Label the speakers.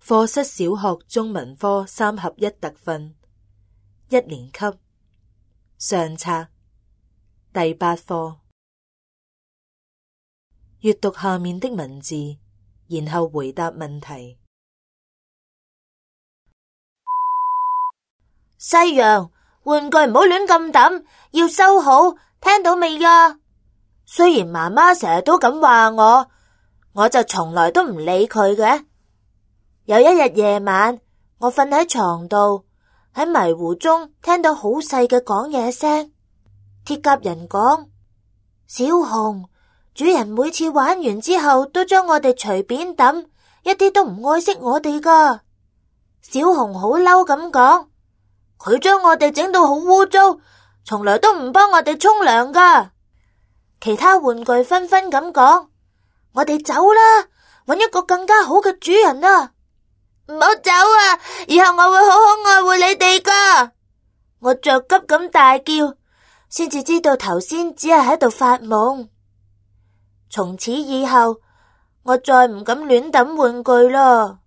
Speaker 1: 課室小學中文科3合1特訓1年級上冊第8課。閱讀下面的文字，然後回答問題。
Speaker 2: 西洋，玩具唔好亂咁抌，要收好，聽到未呀？雖然媽媽成日都咁話我就從來都唔理佢嘅。有一日夜晚，我瞓喺床度，喺迷糊中聽到好細嘅講嘢聲。鐵甲人講：小熊，主人每次玩完之後都將我哋隨便抌，一啲都唔愛惜我哋噶。小熊好嬲咁講：佢將我哋整到好污糟，從來都唔幫我哋沖涼噶。其他玩具紛紛咁講：我哋走啦，搵一個更加好嘅主人啊！唔好走啊！以後我會好好愛護你哋噶。我着急咁大叫，先至知道頭先只係喺度發夢。從此以後，我再唔敢亂抌玩具啦。